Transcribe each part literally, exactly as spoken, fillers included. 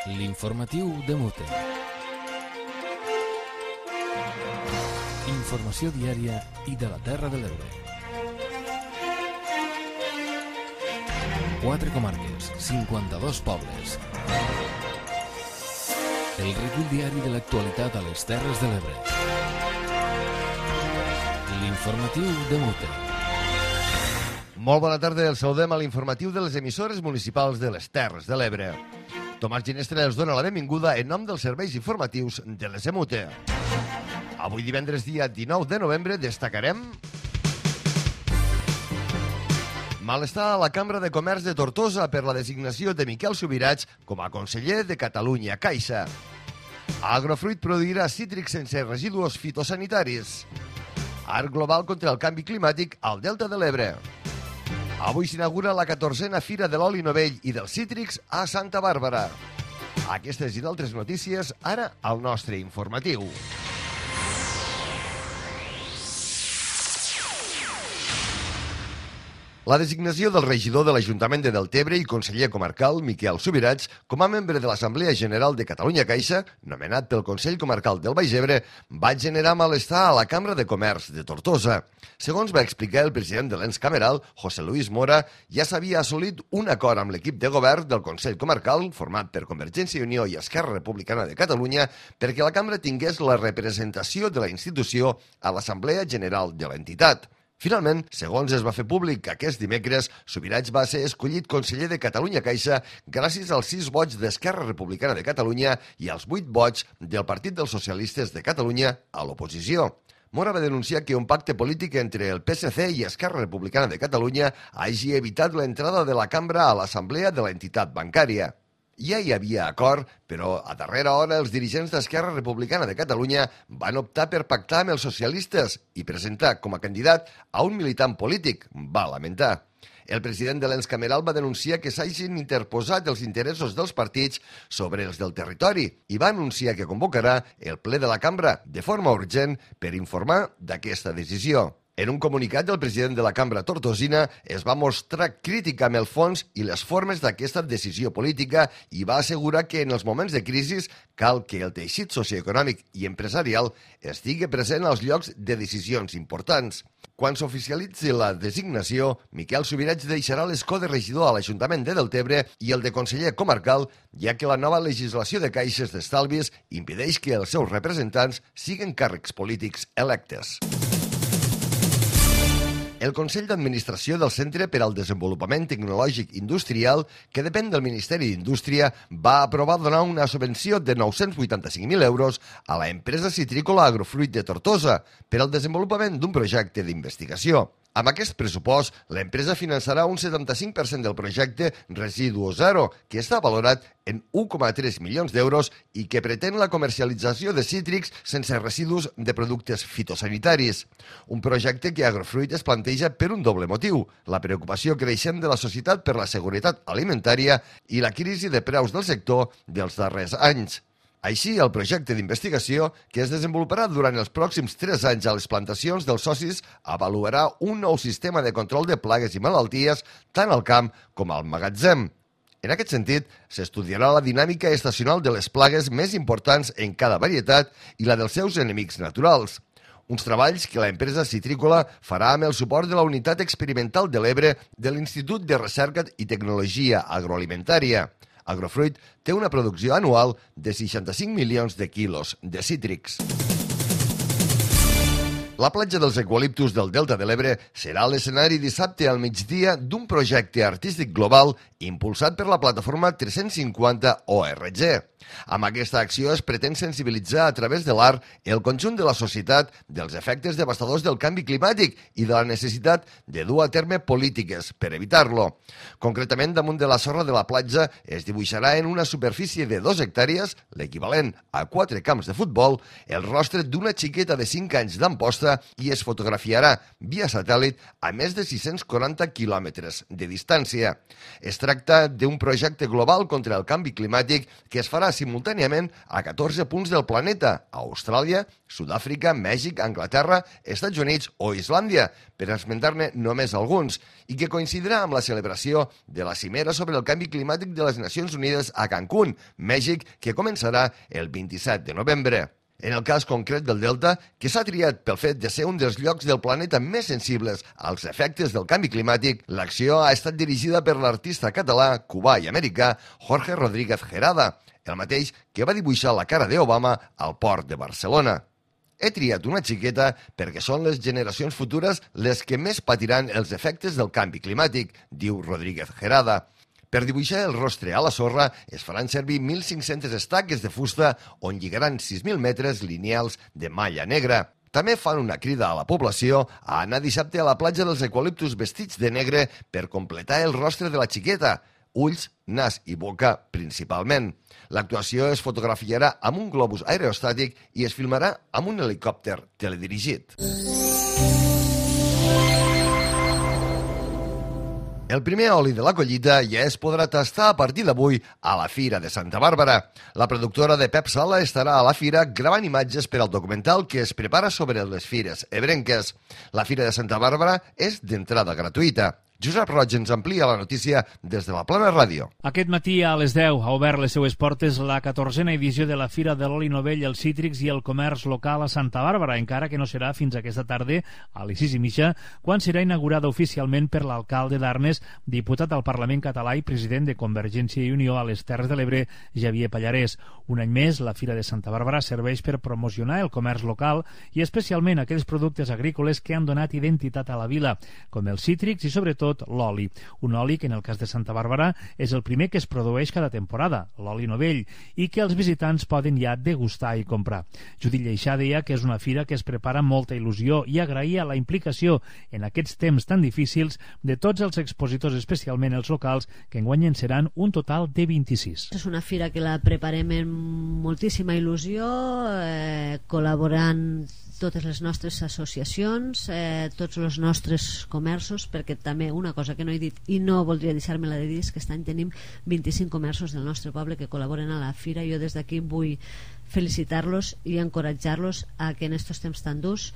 L'informatiu de Mute. Informació diària i de la Terra de l'Ebre. Quatre comarques, cinquanta-dos pobles. El recull diari de l'actualitat a les Terres de l'Ebre. L'informatiu de Mute. Molt bona tarda, el saludem a l'informatiu de les emissores municipals de les Terres de l'Ebre. Tomàs Ginestra els dona la benvinguda en nom dels serveis informatius de les Emute. Avui divendres dia dinou de novembre destacarem malestar a la Cambra de Comerç de Tortosa per la designació de Miquel Subirats com a conseller de Catalunya Caixa. Agrofruit produirà cítrics sense residus fitosanitaris. Art global contra el canvi climàtic al Delta de l'Ebre. Avui s'inaugura la catorzena Fira de l'Oli Novell i dels Cítrics a Santa Bàrbara. Aquestes i d'altres notícies ara al nostre informatiu. La designació del regidor de l'Ajuntament de Deltebre i conseller comarcal, Miquel Subirats, com a membre de l'Assemblea General de Catalunya Caixa, nomenat pel Consell Comarcal del Baix Ebre, va generar malestar a la Cambra de Comerç de Tortosa. Segons va explicar el president de l'ens cameral, José Luis Mora, ja s'havia assolit un acord amb l'equip de govern del Consell Comarcal, format per Convergència i Unió i Esquerra Republicana de Catalunya, perquè la Cambra tingués la representació de la institució a l'Assemblea General de l'entitat. Finalment, segons es va fer públic aquest dimecres, Subirats va ser escollit conseller de Catalunya Caixa gràcies als sis vots d'Esquerra Republicana de Catalunya i als vuit vots del Partit dels Socialistes de Catalunya a l'oposició. Mora va denunciar que un pacte polític entre el P S C i Esquerra Republicana de Catalunya hagi evitat l'entrada de la cambra a l'assemblea de l'entitat bancària. Ja hi havia acord, però a darrera hora els dirigents d'Esquerra Republicana de Catalunya van optar per pactar amb els socialistes i presentar com a candidat a un militant polític, va lamentar. El president de l'ens cameral va denunciar que s'hagin interposat els interessos dels partits sobre els del territori i va anunciar que convocarà el ple de la cambra de forma urgent per informar d'aquesta decisió. En un comunicat del president de la Cambra tortosina es va mostrar crítica amb el fons i les formes d'aquesta decisió política i va assegurar que en els moments de crisi cal que el teixit socioeconòmic i empresarial estigui present als llocs de decisions importants. Quan s'oficialitzi la designació, Miquel Subirats deixarà l'escó de regidor a l'Ajuntament de Deltebre i el de conseller comarcal, ja que la nova legislació de caixes d'estalvis impedeix que els seus representants siguin càrrecs polítics electes. El Consell d'Administració del Centre per al Desenvolupament Tecnològic Industrial, que depèn del Ministeri d'Indústria, va aprovar donar una subvenció de nou-cents vuitanta-cinc mil euros a la empresa citrícola Agrofruit de Tortosa per al desenvolupament d'un projecte d'investigació. Amb aquest pressupost, l'empresa finançarà un setanta-cinc per cent del projecte Residu Zero, que està valorat en un coma tres milions d'euros i que pretén la comercialització de cítrics sense residus de productes fitosanitaris. Un projecte que Agrofruit es planteja per un doble motiu, la preocupació creixent de la societat per la seguretat alimentària i la crisi de preus del sector dels darrers anys. Així, el projecte d'investigació, que es desenvoluparà durant els pròxims tres anys a les plantacions dels socis, avaluarà un nou sistema de control de plagues i malalties tant al camp com al magatzem. En aquest sentit, s'estudiarà la dinàmica estacional de les plagues més importants en cada varietat i la dels seus enemics naturals. Uns treballs que l'empresa citrícola farà amb el suport de la Unitat Experimental de l'Ebre de l'Institut de Recerca i Tecnologia Agroalimentària. Agrofruit té una producció anual de seixanta-cinc milions de quilos de cítrics. La platja dels eucaliptus del Delta de l'Ebre serà l'escenari dissabte al migdia d'un projecte artístic global impulsat per la plataforma tres-cents cinquanta O R G. Amb aquesta acció es pretén sensibilitzar a través de l'art el conjunt de la societat dels efectes devastadors del canvi climàtic i de la necessitat de dur a terme polítiques per evitar-lo. Concretament, damunt de la sorra de la platja es dibuixarà en una superfície de dos hectàrees, l'equivalent a quatre camps de futbol, el rostre d'una xiqueta de cinc anys d'Amposta plaça i es fotografiarà via satèl·lit a més de sis-cents quaranta quilòmetres de distància. Es tracta d'un projecte global contra el canvi climàtic que es farà simultàniament a catorze punts del planeta, a Austràlia, Sud-àfrica, Mèxic, Anglaterra, Estats Units o Islàndia, per esmentar-ne només alguns, i que coincidirà amb la celebració de la cimera sobre el canvi climàtic de les Nacions Unides a Cancún, Mèxic, que començarà el vint-i-set de novembre. En el cas concret del Delta, que s'ha triat pel fet de ser un dels llocs del planeta més sensibles als efectes del canvi climàtic, l'acció ha estat dirigida per l'artista català, cubà i americà Jorge Rodríguez Gerada, el mateix que va dibuixar la cara d'Obama al port de Barcelona. He triat una xiqueta perquè són les generacions futures les que més patiran els efectes del canvi climàtic, diu Rodríguez Gerada. Per dibuixar el rostre a la sorra es faran servir mil cinc-centes estaques de fusta on lligaran sis mil metres lineals de malla negra. També fan una crida a la població a anar dissabte a la platja dels eucaliptus vestits de negre per completar el rostre de la xiqueta, ulls, nas i boca principalment. L'actuació es fotografiarà amb un globus aerostàtic i es filmarà amb un helicòpter teledirigit. El primer oli de la collita ja es podrà tastar a partir d'avui a la Fira de Santa Bàrbara. La productora de Pep Sala estarà a la fira gravant imatges per al documental que es prepara sobre les fires ebrenques. La Fira de Santa Bàrbara és d'entrada gratuïta. Josep Roig ens amplia la notícia des de la Plana Ràdio. Aquest matí a les deu ha obert les seues portes la catorzena edició de la Fira de l'Oli Novell, els cítrics i el comerç local a Santa Bàrbara, encara que no serà fins aquesta tarda, a les sis i mitja, quan serà inaugurada oficialment per l'alcalde d'Arnes, diputat al Parlament català i president de Convergència i Unió a les Terres de l'Ebre, Xavier Pallarès. Un any més, la Fira de Santa Bàrbara serveix per promocionar el comerç local i especialment aquells productes agrícoles que han donat identitat a la vila, com els cítrics i sobretot l'oli. Un oli que en el cas de Santa Bàrbara és el primer que es produeix cada temporada, l'oli novell, i que els visitants poden ja degustar i comprar. Judit Lleixà deia que és una fira que es prepara amb molta il·lusió i agraïa la implicació en aquests temps tan difícils de tots els expositors, especialment els locals, que enguany en seran un total de vint-i-sis. És una fira que la preparem amb moltíssima il·lusió, eh, col·laborant totes les nostres associacions, eh, tots els nostres comerços, perquè també una cosa que no he dit i no voldria deixar-me-la de dir és que aquest any tenim vint-i-cinc comerços del nostre poble que col·laboren a la fira. Jo des d'aquí vull felicitar-los i encoratjar-los a que en aquests temps tan durs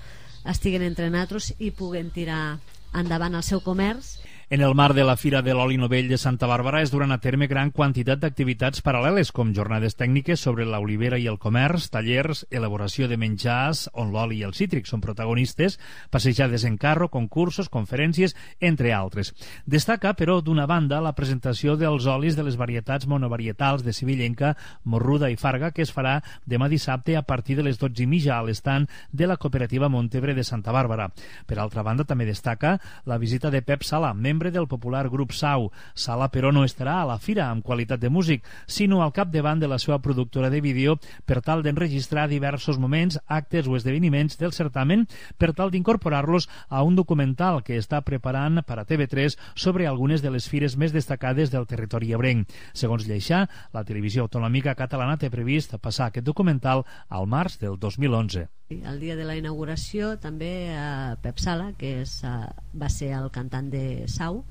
estiguen entre nosaltres i puguen tirar endavant el seu comerç. En el marc de la Fira de l'Oli Novell de Santa Bàrbara es duran a terme gran quantitat d'activitats paral·leles, com jornades tècniques sobre l'olivera i el comerç, tallers, elaboració de menjars, on l'oli i els cítrics són protagonistes, passejades en carro, concursos, conferències, entre altres. Destaca, però, d'una banda, la presentació dels olis de les varietats monovarietals de Sevillenca, Morruda i Farga, que es farà demà dissabte a partir de les dotze i mitja a l'estand de la cooperativa Montebre de Santa Bàrbara. Per altra banda, també destaca la visita de Pep Sala, membre del popular grup Sau. Sala, però, no estarà a la fira amb qualitat de músic, sinó al capdavant de la seva productora de vídeo per tal d'enregistrar diversos moments, actes o esdeveniments del certamen per tal d'incorporar-los a un documental que està preparant per a T V tres sobre algunes de les fires més destacades del territori ebrenc. Segons Lleixà, la televisió autonòmica catalana té previst passar aquest documental al març del dos mil onze. El dia de la inauguració també a Pep Sala, que és, va ser el cantant de Sau,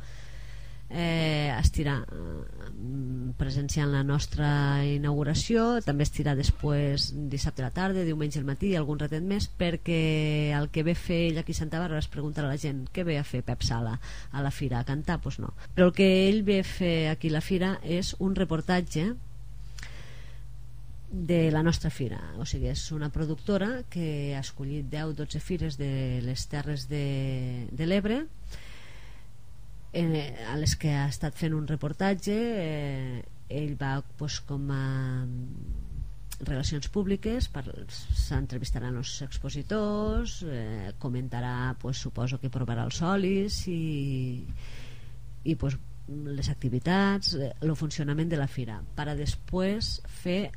eh, estirà presenciant la nostra inauguració. També estirà després dissabte a la tarda, diumenge al matí i algun ratet més, perquè el que ve a fer ell aquí a Santa Bàrbara és preguntar a la gent què ve a fer Pep Sala a la fira, a cantar? Doncs no. Però el que ell ve a fer aquí a la fira és un reportatge de la nostra fira. O sigui, és una productora que ha escollit deu o dotze fires de les Terres de, de l'Ebre, eh, a les que ha estat fent un reportatge. eh, ell va pues, com a relacions públiques, s'entrevistaran els expositors, eh, comentarà, pues, suposo que provarà els olis i, i pues, les activitats, eh, el funcionament de la fira, per a després fer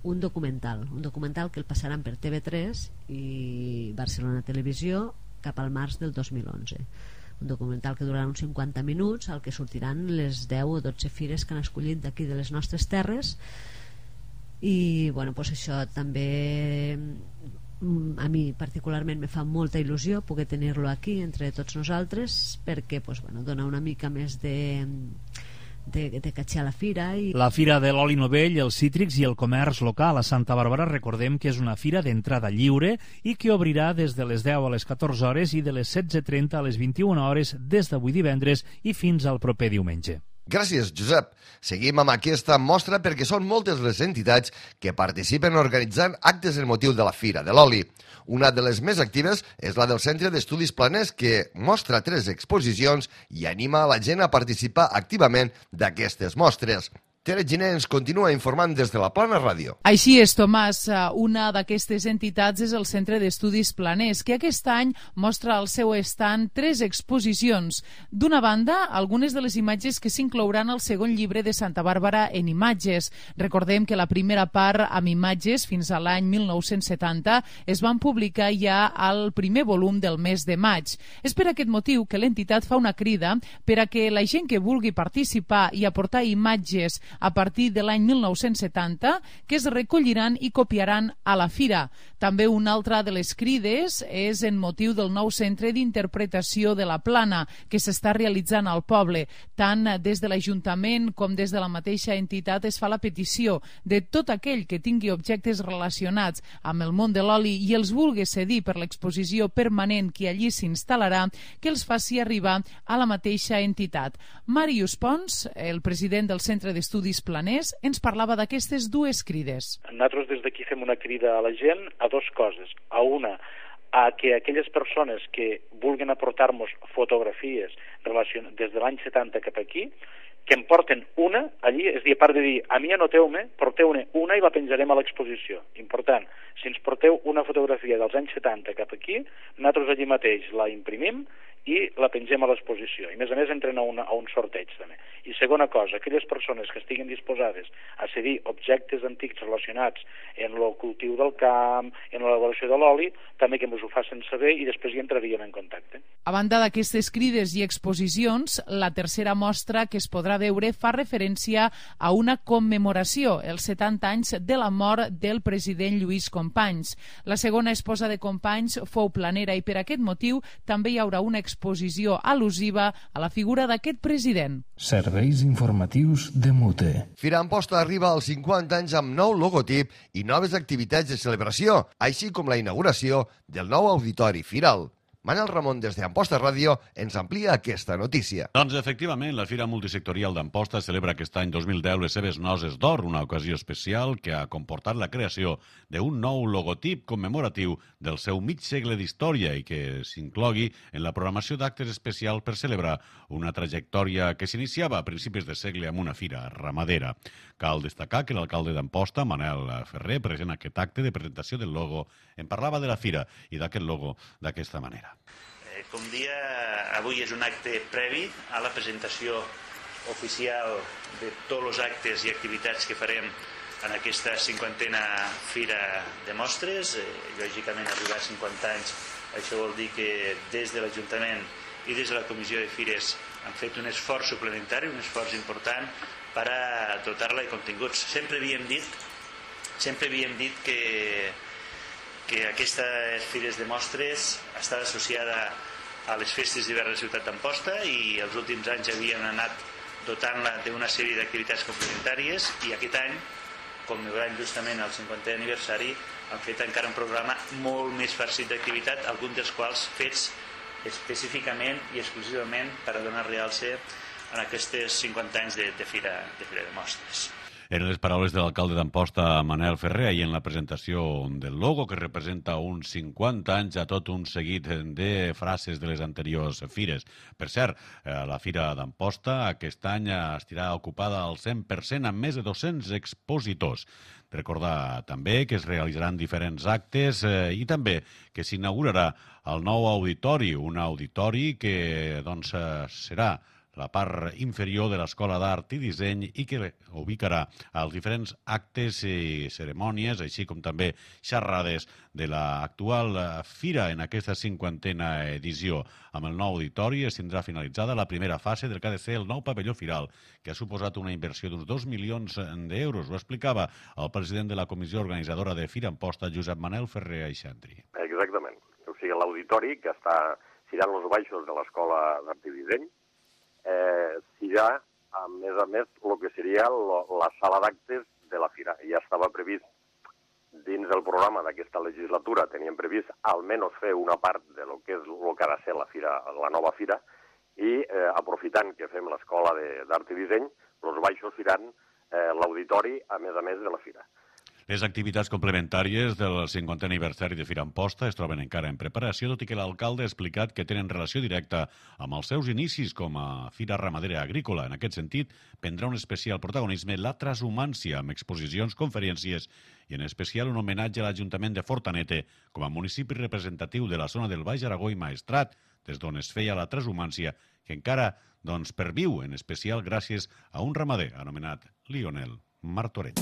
un documental, un documental que el passaran per T V tres i Barcelona Televisió cap al març del dos mil onze. Un documental que durarà uns cinquanta minuts, al que sortiran les deu o dotze fires que han escollit d'aquí de les nostres terres. I bueno, pues això també a mi particularment me fa molta il·lusió poder tenir-lo aquí entre tots nosaltres, perquè pues, bueno, dona una mica més de de, de catxar la fira. I... La Fira de l'Oli Novell, els cítrics i el comerç local a Santa Bàrbara, recordem que és una fira d'entrada lliure i que obrirà des de les deu a les catorze hores i de les setze trenta a les vint-i-una hores des d'avui divendres i fins al proper diumenge. Gràcies, Josep. Seguim amb aquesta mostra perquè són moltes les entitats que participen organitzant actes en motiu de la Fira de l'Oli. Una de les més actives és la del Centre d'Estudis Planers, que mostra tres exposicions i anima a la gent a participar activament d'aquestes mostres. Tere Giner ens continua informant des de la Plana Ràdio. Així és, Tomàs. Una d'aquestes entitats és el Centre d'Estudis Planers, que aquest any mostra al seu estand tres exposicions. D'una banda, algunes de les imatges que s'inclouran al segon llibre de Santa Bàrbara en imatges. Recordem que la primera part amb imatges, fins a l'any mil nou-cents setanta, es van publicar ja al primer volum del mes de maig. És per aquest motiu que l'entitat fa una crida per a que la gent que vulgui participar i aportar imatges a partir de l'any mil nou-cents setanta, que es recolliran i copiaran a la fira. També una altra de les crides és en motiu del nou centre d'interpretació de la Plana, que s'està realitzant al poble. Tant des de l'Ajuntament com des de la mateixa entitat es fa la petició de tot aquell que tingui objectes relacionats amb el món de l'oli i els vulgui cedir per l'exposició permanent que allí s'instal·larà, que els faci arribar a la mateixa entitat. Màrius Pons, el president del Centre d'Estudis Planers, ens parlava d'aquestes dues crides. Nosaltres des d'aquí fem una crida a la gent a dues coses. A una, a que aquelles persones que vulguin aportar-nos fotografies des de l'any setanta cap aquí, que en porten una allí, és a dir, a part de dir, a mi anoteu-me, porteu-ne una i la penjarem a l'exposició. Important, si ens porteu una fotografia dels anys setanta cap aquí, nosaltres allí mateix la imprimim i la pengem a l'exposició. I a més a més entren a, una, a un sorteig també. I segona cosa, aquelles persones que estiguin disposades a cedir objectes antics relacionats en el cultiu del camp, en l'elaboració de l'oli, també que ens ho facin saber i després hi entraríem en contacte. A banda d'aquestes crides i exposicions, la tercera mostra que es podrà veure fa referència a una commemoració, els setanta anys de la mort del president Lluís Companys. La segona esposa de Companys fou planera i per aquest motiu també hi haurà una exposició al·lusiva a la figura d'aquest president. Serveis informatius de Mute. Fira Amposta arriba als cinquanta anys amb nou logotip i noves activitats de celebració, així com la inauguració del nou auditori firal. Manel Ramon, des d'Amposta Ràdio, ens amplia aquesta notícia. Doncs, efectivament, la Fira Multisectorial d'Amposta celebra aquest any dos mil deu les seves noces d'or, una ocasió especial que ha comportat la creació d'un nou logotip commemoratiu del seu mig segle d'història i que s'inclogui en la programació d'actes especials per celebrar una trajectòria que s'iniciava a principis de segle amb una fira ramadera. Cal destacar que l'alcalde d'Amposta, Manel Ferrer, present aquest acte de presentació del logo, en parlava de la fira i d'aquest logo d'aquesta manera. Eh, com dia, avui és un acte previ a la presentació oficial de tots els actes i activitats que farem en aquesta cinquantena Fira de Mostres. Eh, lògicament, arribar a cinquanta anys, això vol dir que des de l'Ajuntament i des de la Comissió de Fires han fet un esforç suplementari, un esforç important per a dotar-la de continguts. Sempre havíem dit, sempre havíem dit que, que aquestes Fires de Mostres estava associada a les festes d'hivern de la ciutat d'Amposta i els últims anys havien anat dotant-la d'una sèrie d'activitats complementàries i aquest any, commemorant justament el cinquantè aniversari, han fet encara un programa molt més farcit d'activitat, alguns dels quals fets específicament i exclusivament per a donar realce en aquests cinquanta anys de, de, fira, de Fira de Mostres. Eren les paraules de l'alcalde d'Amposta, Manel Ferrer, i en la presentació del logo, que representa uns cinquanta anys a tot un seguit de frases de les anteriors fires. Per cert, la Fira d'Amposta aquest any estarà ocupada al cent per cent amb més de dos-cents expositors. Recordar també que es realitzaran diferents actes eh, i també que s'inaugurarà el nou auditori, un auditori que doncs, serà la part inferior de l'Escola d'Art i Disseny i que ubicarà els diferents actes i cerimònies, així com també xerrades de l'actual fira en aquesta cinquantena edició. Amb el nou auditori es tindrà finalitzada la primera fase del que ha de ser el nou pavelló firal, que ha suposat una inversió d'uns dos milions d'euros. Ho explicava el president de la comissió organitzadora de Fira Amposta, Josep Manel Ferrer Aixantri. Exactament. O sigui, l'auditori, que està tirant els baixos de l'Escola d'Art i Disseny, eh, serà, a més a més, el que seria lo, la sala d'actes de la fira. Ja estava previst, dins del programa d'aquesta legislatura, teníem previst almenys fer una part de lo que és el que ha de ser la fira, la nova fira, i eh, aprofitant que fem l'Escola d'Art i Disseny, els baixos seran eh, l'auditori, a més a més de la fira. Les activitats complementàries del cinquantè aniversari de Fira Amposta es troben encara en preparació, tot i que l'alcalde ha explicat que tenen relació directa amb els seus inicis com a Fira Ramadera Agrícola. En aquest sentit, prendrà un especial protagonisme la transhumància, amb exposicions, conferències i en especial un homenatge a l'Ajuntament de Fortanete com a municipi representatiu de la zona del Baix Aragó i Maestrat, des d'on es feia la transhumància, que encara doncs, perviu, en especial gràcies a un ramader anomenat Lionel Martorell.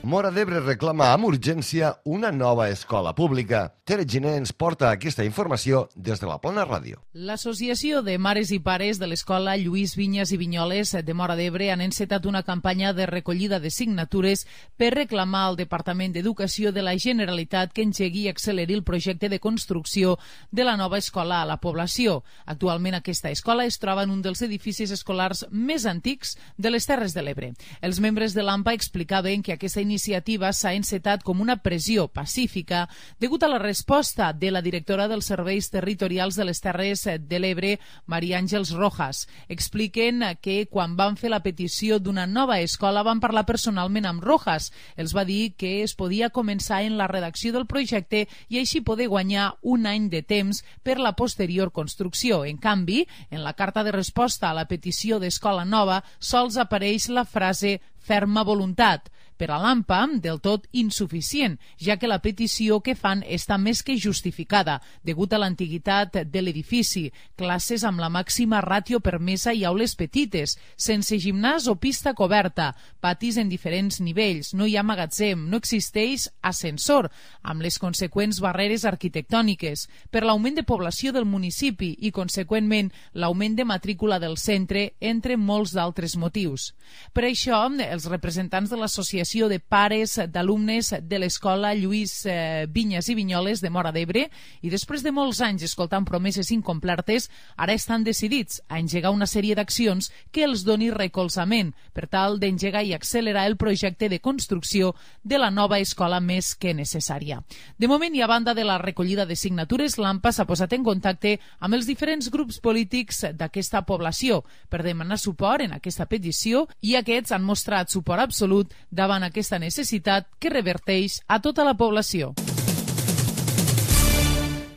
Móra d'Ebre reclama amb urgència una nova escola pública. Tere Giner ens porta aquesta informació des de la Plana Ràdio. L'Associació de Mares i Pares de l'Escola Lluís Vinyes i Vinyoles de Móra d'Ebre han encetat una campanya de recollida de signatures per reclamar al Departament d'Educació de la Generalitat que engegui i acceleri el projecte de construcció de la nova escola a la població. Actualment aquesta escola es troba en un dels edificis escolars més antics de les Terres de l'Ebre. Els membres de l'AMPA explicaven que aquesta iniciativa s'ha encetat com una pressió pacífica degut a la resposta de la directora dels Serveis Territorials de les Terres de l'Ebre, Maria Àngels Rojas. Expliquen que quan van fer la petició d'una nova escola van parlar personalment amb Rojas. Els va dir que es podia començar en la redacció del projecte i així poder guanyar un any de temps per la posterior construcció. En canvi, en la carta de resposta a la petició d'escola nova sols apareix la frase ferma voluntat. Per a l'AMPA, del tot insuficient, ja que la petició que fan està més que justificada, degut a l'antiguitat de l'edifici, classes amb la màxima ràtio permesa i aules petites, sense gimnàs o pista coberta, patis en diferents nivells, no hi ha magatzem, no existeix ascensor, amb les conseqüents barreres arquitectòniques, per l'augment de població del municipi i, conseqüentment, l'augment de matrícula del centre, entre molts d'altres motius. Per això, els representants de l'associació de pares d'alumnes de l'escola Lluís eh, Vinyes i Vinyoles de Móra d'Ebre i després de molts anys escoltant promeses incomplertes, ara estan decidits a engegar una sèrie d'accions que els doni recolzament per tal d'engegar i accelerar el projecte de construcció de la nova escola més que necessària. De moment, i a banda de la recollida de signatures, l'AMPA s'ha posat en contacte amb els diferents grups polítics d'aquesta població per demanar suport en aquesta petició i aquests han mostrat suport absolut davant aquesta necessitat que reverteix a tota la població.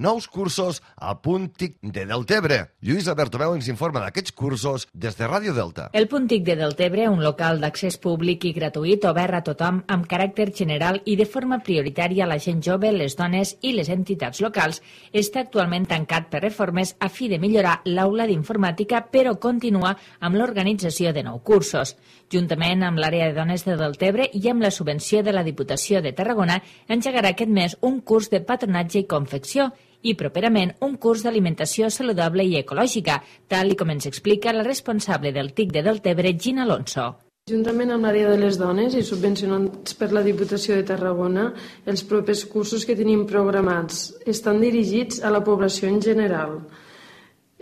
Nous cursos al Punt TIC de Deltebre. Lluïsa Bertomeu ens informa d'aquests cursos des de Ràdio Delta. El Punt TIC de Deltebre, un local d'accés públic i gratuït obert a tothom amb caràcter general i de forma prioritària a la gent jove, les dones i les entitats locals, està actualment tancat per reformes a fi de millorar l'aula d'informàtica, però continua amb l'organització de nou cursos. Juntament amb l'àrea de dones de Deltebre i amb la subvenció de la Diputació de Tarragona, engegarà aquest mes un curs de patronatge i confecció i properament un curs d'alimentació saludable i ecològica, tal i com ens explica la responsable del TIC de Deltebre, Gina Alonso. Juntament amb l'àrea de les dones i subvencionats per la Diputació de Tarragona, els propers cursos que tenim programats estan dirigits a la població en general.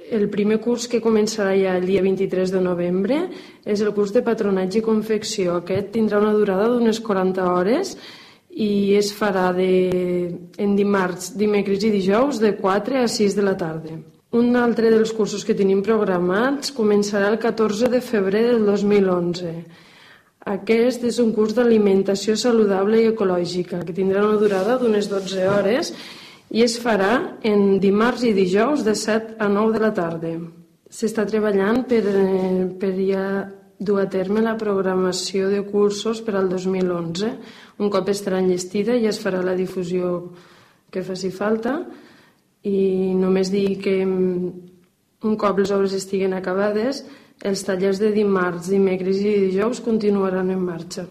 El primer curs, que començarà ja el dia vint-i-tres de novembre, és el curs de patronatge i confecció. Aquest tindrà una durada d'unes quaranta hores i es farà de, en dimarts, dimecres i dijous de quatre a sis de la tarda. Un altre dels cursos que tenim programats començarà el catorze de febrer del dos mil onze. Aquest és un curs d'alimentació saludable i ecològica que tindrà una durada d'unes dotze hores i es farà en dimarts i dijous de set a nou de la tarda. S'està treballant per, per ja dur a terme la programació de cursos per al dos mil onze. Un cop estarà enllestida ja es farà la difusió que faci falta i només dir que Un cop les obres estiguen acabades, els tallers de dimarts, dimecres i dijous continuaran en marxa.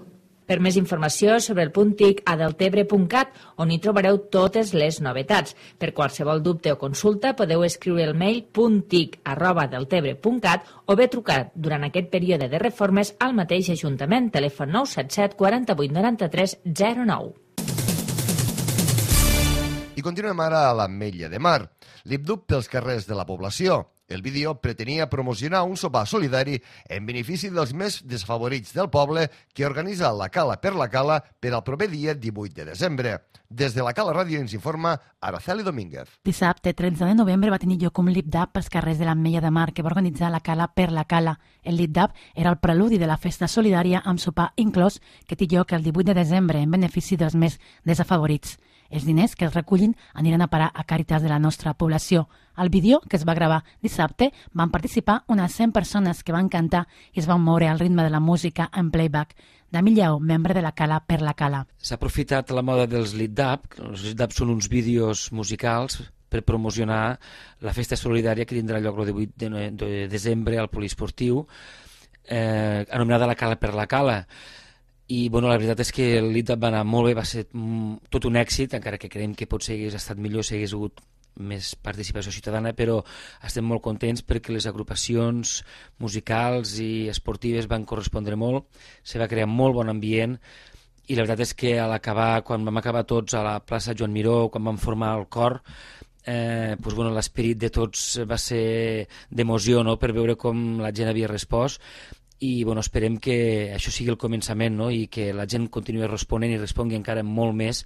Per més informació sobre el punt T I C a deltebre punt cat, on hi trobareu totes les novetats. Per qualsevol dubte o consulta podeu escriure el mail punttic arroba deltebre punt cat o bé trucar durant aquest període de reformes al mateix Ajuntament, telèfon nou set set quaranta-vuit noranta-tres zero nou. I continuem ara a l'Ametlla de Mar. Lip Dub pels carrers de la població. El vídeo pretenia promocionar un sopar solidari en benefici dels més desfavorits del poble que organitza la Cala per la Cala per al proper dia divuit de desembre. Des de la Cala Ràdio ens informa Araceli Domínguez. Dissabte, tretze de novembre, va tenir lloc un lip-dub pels carrers de l'Ametlla de Mar que va organitzar la Cala per la Cala. El lip-dub era el preludi de la festa solidària amb sopar inclòs que té lloc el divuit de desembre en benefici dels més desafavorits. Els diners que es recullin aniran a parar a Càritas de la nostra població. Al vídeo, que es va gravar dissabte, van participar unes cent persones que van cantar i es van moure al ritme de la música en playback. Dami Lleó, membre de la Cala per la Cala. S'ha aprofitat la moda dels lip-dub. Els lip-dub són uns vídeos musicals per promocionar la festa solidària que tindrà lloc el divuit de desembre al poliesportiu, eh, anomenada la Cala per la Cala. I bueno, la veritat és que el lip-dub va anar molt bé, va ser tot un èxit, encara que creiem que potser hagués estat millor si hagués hagut més participació ciutadana, però estem molt contents perquè les agrupacions musicals i esportives van correspondre molt, se va crear molt bon ambient i la veritat és que a l'acabar, quan vam acabar tots a la plaça Joan Miró, quan vam formar el cor, eh, doncs, bueno, l'esperit de tots va ser d'emoció, no?, per veure com la gent havia respost. I bueno, esperem que això sigui el començament, no?, i que la gent continuï responent i respongui encara molt més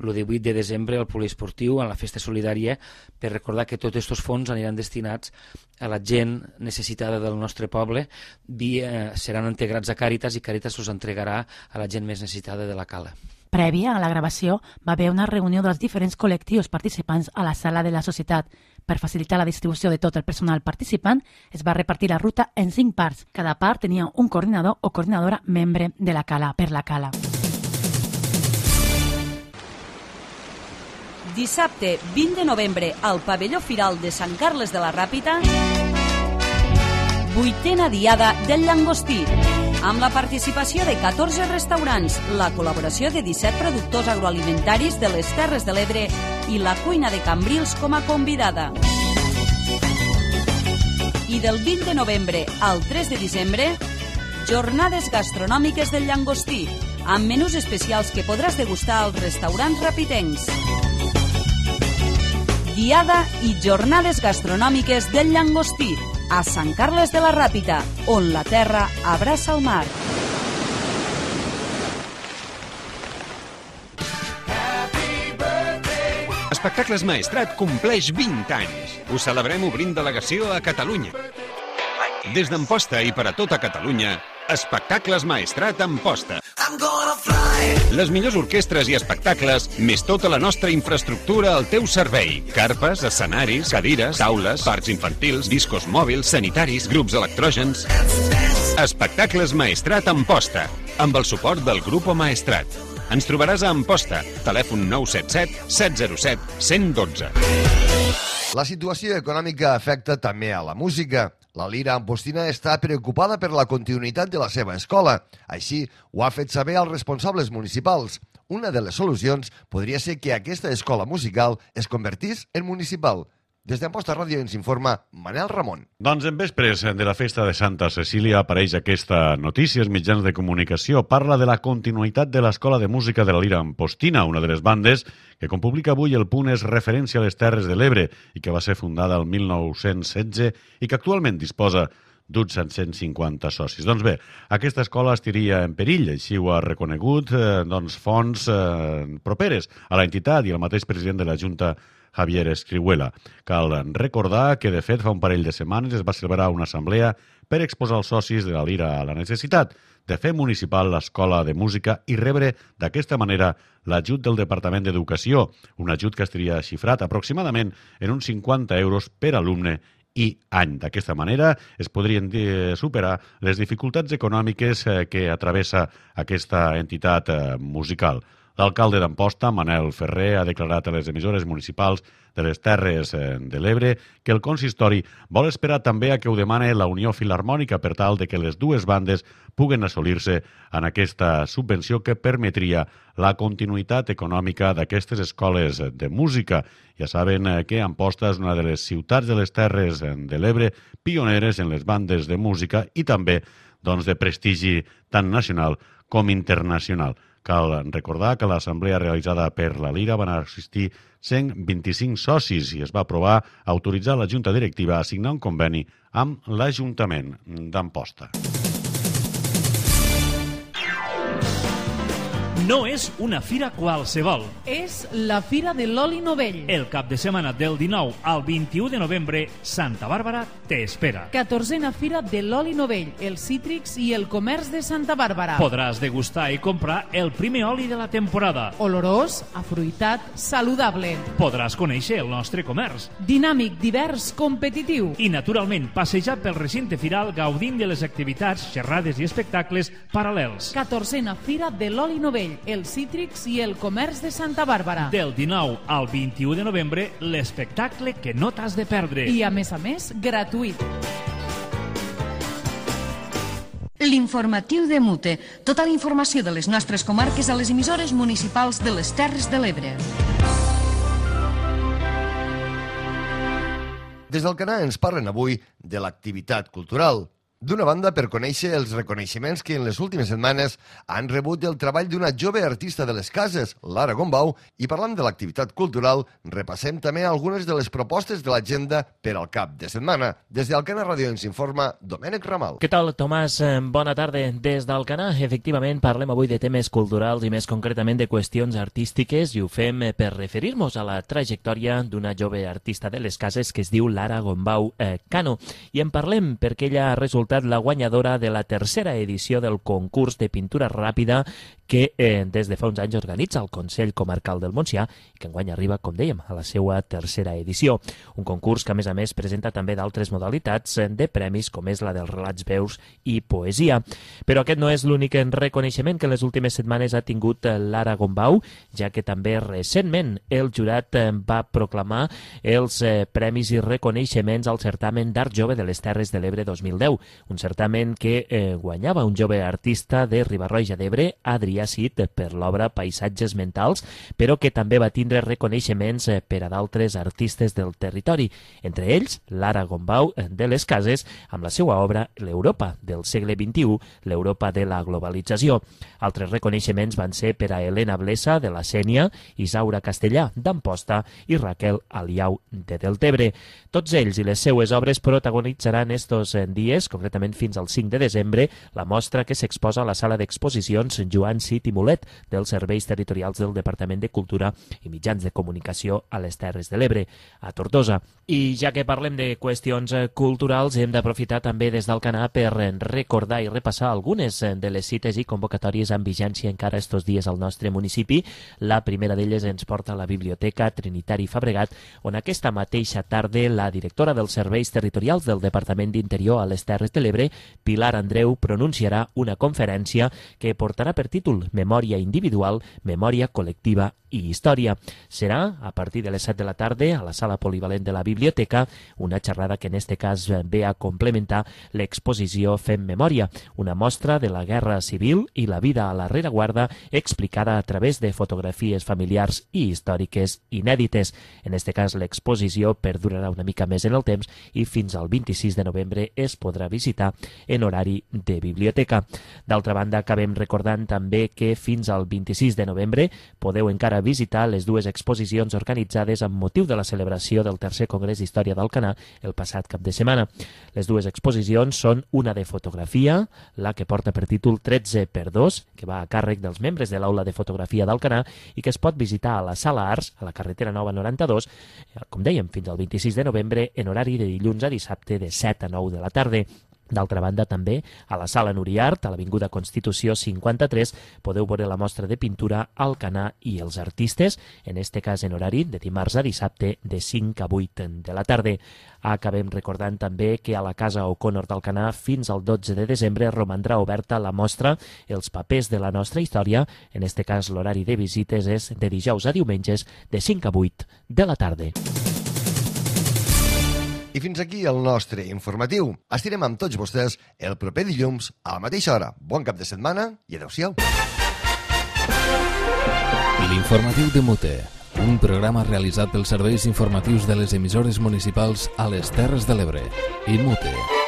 el divuit de desembre al poliesportiu, a la festa solidària, per recordar que tots aquests fons aniran destinats a la gent necessitada del nostre poble, via, seran integrats a Càritas i Càritas els entregarà a la gent més necessitada de la Cala. Prèvia a la gravació va haver una reunió dels diferents col·lectius participants a la sala de la societat. Per facilitar la distribució de tot el personal participant, es va repartir la ruta en cinc parts. Cada part tenia un coordinador o coordinadora membre de la Cala per la Cala. Dissabte, vint de novembre, al pavelló Firal de Sant Carles de la Ràpita, vuitena diada del llangostí, amb la participació de catorze restaurants, la col·laboració de disset productors agroalimentaris de les Terres de l'Ebre i la cuina de Cambrils com a convidada. I del vint de novembre al tres de desembre, jornades gastronòmiques del llangostí, amb menús especials que podràs degustar als restaurants rapitencs. Diada i jornades gastronòmiques del llangostí, a Sant Carles de la Ràpita, on la terra abraça el mar. Espectacles Maestrat compleix vint anys. Ho celebrem obrint delegació a Catalunya. Des d'Amposta i per a tota Catalunya, Espectacles Maestrat Amposta. Les millors orquestres i espectacles, més tota la nostra infraestructura al teu servei. Carpes, escenaris, cadires, taules, parcs infantils, discos mòbils, sanitaris, grups electrògens. Espectacles Maestrat Amposta, amb el suport del Grupo Maestrat. Ens trobaràs a Amposta, telèfon nou set set set zero set un un dos. La situació econòmica afecta també a la música. La Lira Ampostina està preocupada per la continuïtat de la seva escola. Així, ho ha fet saber als responsables municipals. Una de les solucions podria ser que aquesta escola musical es convertís en municipal. Des d'Amposta Ràdio ens informa Manel Ramon. Doncs en vespres de la festa de Santa Cecília apareix aquesta notícia als mitjans de comunicació. Parla de la continuïtat de l'Escola de Música de la Lira Ampostina, una de les bandes que, com publica avui El Punt, és referència a les Terres de l'Ebre i que va ser fundada el mil nou-cents setze i que actualment disposa d'uns set-cents cinquanta socis. Doncs bé, aquesta escola estiria en perill, així ho ha reconegut eh, doncs, fonts eh, properes a l'entitat i el mateix president de la Junta, Javier Escrihuela. Cal recordar que, de fet, fa un parell de setmanes es va celebrar una assemblea per exposar als socis de la Lira a la necessitat de fer municipal l'escola de música i rebre d'aquesta manera l'ajut del Departament d'Educació, un ajut que estaria xifrat aproximadament en uns cinquanta euros per alumne i any. D'aquesta manera es podrien superar les dificultats econòmiques que atravessa aquesta entitat musical. L'alcalde d'Amposta, Manel Ferrer, ha declarat a les emissores municipals de les Terres de l'Ebre que el consistori vol esperar també a que ho demane la Unió Filharmònica per tal de que les dues bandes puguen assolir-se en aquesta subvenció que permetria la continuïtat econòmica d'aquestes escoles de música. Ja saben que Amposta és una de les ciutats de les Terres de l'Ebre pioneres en les bandes de música i també doncs, de prestigi tant nacional com internacional. Cal recordar que a l'assemblea realitzada per la Lira van assistir cent vint-i-cinc socis i es va aprovar autoritzar la Junta Directiva a signar un conveni amb l'Ajuntament d'Amposta. No és una fira qualsevol. És la Fira de l'Oli Novell. El cap de setmana del dinou al vint-i-u de novembre, Santa Bàrbara t'espera. catorzena Fira de l'Oli Novell, els cítrics i el comerç de Santa Bàrbara. Podràs degustar i comprar el primer oli de la temporada. Olorós, afruitat, saludable. Podràs conèixer el nostre comerç. Dinàmic, divers, competitiu. I, naturalment, passejar pel recinte firal gaudint de les activitats, xerrades i espectacles paral·lels. catorzena Fira de l'Oli Novell, els cítrics i el comerç de Santa Bàrbara. Del dinou al vint-i-u de novembre, l'espectacle que no t'has de perdre. I, a més a més, gratuït. L'informatiu de Mute. Tota la informació de les nostres comarques a les emissores municipals de les Terres de l'Ebre. Des d'Alcanar ens parlen avui de l'activitat cultural. D'una banda, per conèixer els reconeixements que en les últimes setmanes han rebut el treball d'una jove artista de les cases, Lara Gombau, i parlant de l'activitat cultural, repassem també algunes de les propostes de l'agenda per al cap de setmana. Des d'Alcanar Ràdio ens informa Domènec Ramal. Què tal, Tomàs? Bona tarda. Des d'Alcanar, efectivament, parlem avui de temes culturals i més concretament de qüestions artístiques i ho fem per referir-nos a la trajectòria d'una jove artista de les cases que es diu Lara Gombau eh, Cano. I en parlem perquè ella ha resultat la guanyadora de la tercera edició del concurs de pintura ràpida que eh, des de fa uns anys organitza el Consell Comarcal del Montsià i que enguany arriba, com dèiem, a la seva tercera edició. Un concurs que, a més a més, presenta també d'altres modalitats de premis, com és la dels relats veus i poesia. Però aquest no és l'únic reconeixement que en les últimes setmanes ha tingut Lara Gombau, ja que també recentment el jurat va proclamar els eh, premis i reconeixements al certamen d'Art Jove de les Terres de l'Ebre dos mil deu, un certamen que eh, guanyava un jove artista de Riba-roja d'Ebre, Adrià Cid, per l'obra Paisatges mentals, però que també va tindre reconeixements eh, per a d'altres artistes del territori, entre ells Lara Gombau eh, de les Cases, amb la seva obra L'Europa del segle vint-i-u, l'Europa de la globalització. Altres reconeixements van ser per a Helena Blesa, de la Sénia, Isaura Castellà, d'Amposta, i Raquel Aliau, de Deltebre. Tots ells i les seues obres protagonitzaran estos dies, concretament fins al cinc de desembre, la mostra que s'exposa a la sala d'exposicions Joan Cid i Mulet dels Serveis Territorials del Departament de Cultura i Mitjans de Comunicació a les Terres de l'Ebre, a Tortosa. I ja que parlem de qüestions culturals, hem d'aprofitar també des d'Alcanar per recordar i repassar algunes de les cites i convocatòries en vigència encara estos dies al nostre municipi. La primera d'elles ens porta a la Biblioteca Trinitari Fabregat, on aquesta mateixa tarda la directora dels Serveis Territorials del Departament d'Interior a les Terres de l'Ebre, Pilar Andreu, pronunciarà una conferència que portarà per títol Memòria individual, memòria col·lectiva i història. Serà a partir de les set de la tarda a la sala polivalent de la biblioteca, una xerrada que en este cas ve a complementar l'exposició Fem Memòria, una mostra de la Guerra Civil i la vida a la rereguarda explicada a través de fotografies familiars i històriques inèdites. En este cas l'exposició perdurarà una mica més en el temps i fins al vint-i-sis de novembre es podrà visitar en horari de biblioteca. D'altra banda, acabem recordant també que fins al vint-i-sis de novembre podeu encara visitar les dues exposicions organitzades amb motiu de la celebració del tercer Congrés d'Història d'Alcanar el passat cap de setmana. Les dues exposicions són una de fotografia, la que porta per títol tretze per dos, que va a càrrec dels membres de l'Aula de Fotografia d'Alcanar i que es pot visitar a la Sala Arts, a la carretera Nova noranta-dos, com dèiem, fins al vint-i-sis de novembre en horari de dilluns a dissabte de set a nou de la tarda. D'altra banda, també, a la Sala Nuriart, a l'Avinguda Constitució cinquanta-tres, podeu veure la mostra de pintura Alcanar i els artistes, en este cas en horari de dimarts a dissabte de cinc a vuit de la tarda. Acabem recordant també que a la Casa O'Connor d'Alcanar fins al dotze de desembre romandrà oberta la mostra Els papers de la nostra història. En este cas, l'horari de visites és de dijous a diumenges de cinc a vuit de la tarda. I fins aquí el nostre informatiu. Estirem amb tots vostès el proper dilluns a la mateixa hora. Bon cap de setmana i adeu-siau. L'informatiu de Mute, un programa realitzat pels serveis informatius de les emissores municipals a les Terres de l'Ebre i Mute.